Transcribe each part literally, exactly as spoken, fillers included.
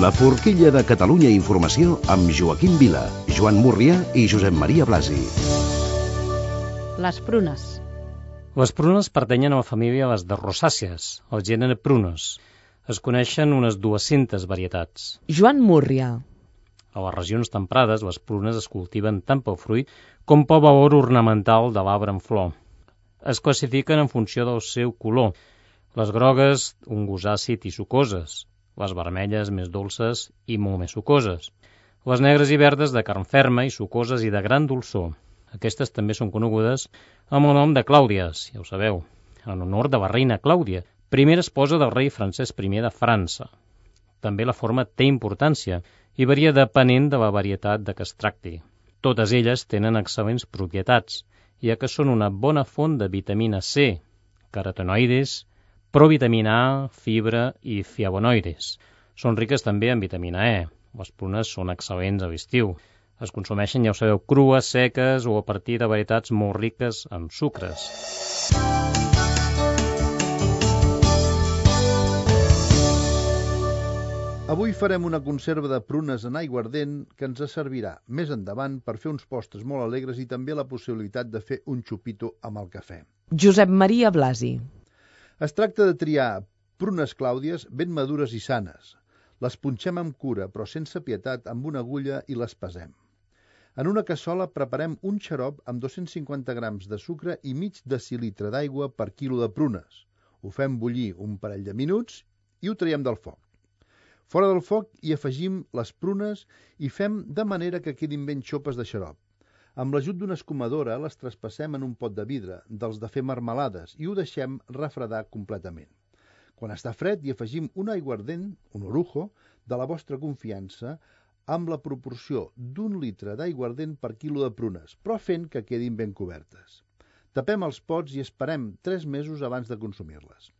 La forquilla de Catalunya Informació amb Joaquim Vila, Joan Múrria i Josep Maria Blasi. Les prunes. Les prunes pertanyen a la família de les de rosàcies, el gènere Prunus. Es coneixen unes dues-centes varietats. Joan Múrria. A les regions temperades, les prunes es cultiven tant pel fruit com pel valor ornamental de l'arbre en flor. Es classifiquen en funció del seu color. Les grogues, un gust àcid i sucoses. Les vermelles, més dolces i molt més sucoses. Les negres i verdes, de carn ferma i sucoses i de gran dolçor. Aquestes també són conegudes amb el nom de Clàudies, ja ho sabeu, en honor de la reina Clàudia, primera esposa del rei Francesc primer de França. També la forma té importància i varia depenent de la varietat de què es tracti. Totes elles tenen excel·lents propietats, ja que són una bona font de vitamina C, carotenoides, provitamina A, fibra i flavonoides. Són riques també en vitamina E. Les prunes són excel·lents a l'estiu. Es consumeixen, ja ho sabeu, crues, seques o a partir de varietats molt riques en sucres. Avui farem una conserva de prunes en aiguardent que ens servirà més endavant per fer uns postres molt alegres i també la possibilitat de fer un xupito amb el cafè. Josep Maria Blasi. Es tracta de triar prunes clàudies ben madures i sanes. Les punxem amb cura, però sense pietat, amb una agulla i les pesem. En una cassola preparem un xarop amb dos-cents cinquanta grams de sucre i mig decilitre d'aigua per quilo de prunes. Ho fem bullir un parell de minuts i ho traiem del foc. Fora del foc hi afegim les prunes i fem de manera que quedin ben xopes de xarop. Amb l'ajut d'una escumadora les traspassem en un pot de vidre, dels de fer marmelades, i ho deixem refredar completament. Quan està fred hi afegim un aiguardent, un orujo, de la vostra confiança, amb la proporció d'un litre d'aiguardent per quilo de prunes, però fent que quedin ben cobertes. Tapem els pots i esperem tres mesos abans de consumir-les.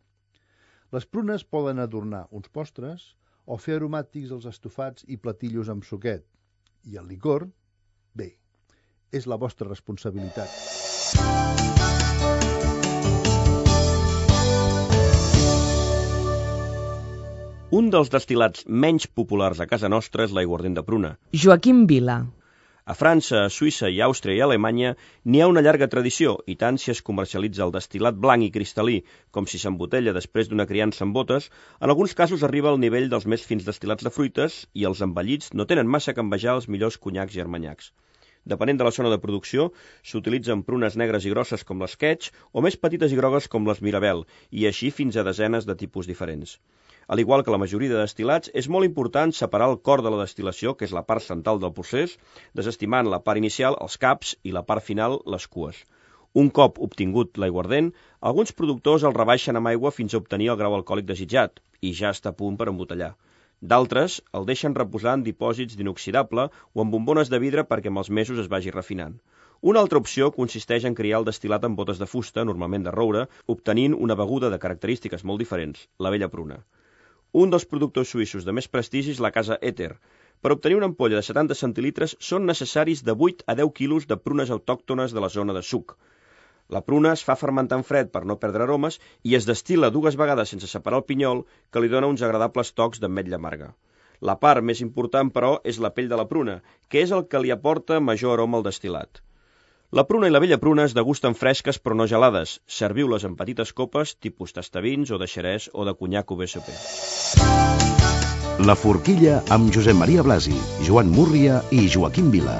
Les prunes poden adornar uns postres o fer aromàtics als estofats i platillos amb suquet. I el licor, bé, és la vostra responsabilitat. Un dels destil·lats menys populars a casa nostra és l'aiguardent de pruna. Joaquim Vila. A França, a Suïssa i Àustria i Alemanya n'hi ha una llarga tradició, i tant si es comercialitza el destil·lat blanc i cristal·lí com si s'embotella després d'una criança amb botes, en alguns casos arriba al nivell dels més fins destil·lats de fruites i els envellits no tenen massa que envejar els millors conyacs i armanyacs. Depenent de la zona de producció, s'utilitzen prunes negres i grosses com l'esquetx o més petites i grogues com les mirabel, i així fins a desenes de tipus diferents. Al igual que la majoria de destil·lats, és molt important separar el cor de la destil·lació, que és la part central del procés, desestimant la part inicial, els caps, i la part final, les cues. Un cop obtingut l'aiguardent, alguns productors el rebaixen amb aigua fins a obtenir el grau alcohòlic desitjat, i ja està a punt per embotellar. D'altres el deixen reposar en dipòsits d'inoxidable o en bombones de vidre perquè amb els mesos es vagi refinant. Una altra opció consisteix en criar el destil·lat en botes de fusta, normalment de roure, obtenint una beguda de característiques molt diferents, la vella pruna. Un dels productors suïssos de més prestigi és la casa Eter. Per obtenir una ampolla de setanta centilitres són necessaris de vuit a deu quilos de prunes autòctones de la zona de suc. La pruna es fa fermentar en fred per no perdre aromes i es destil·la dues vegades sense separar el pinyol, que li dona uns agradables tocs d'ametlla amarga. La part més important, però, és la pell de la pruna, que és el que li aporta major aroma al destil·lat. La pruna i la vella pruna es degusten fresques però no gelades. Serviu-les en petites copes, tipus tastavins o de xerès o de conyac U B S P. La forquilla amb Josep Maria Blasi, Joan Múrria i Joaquim Vila.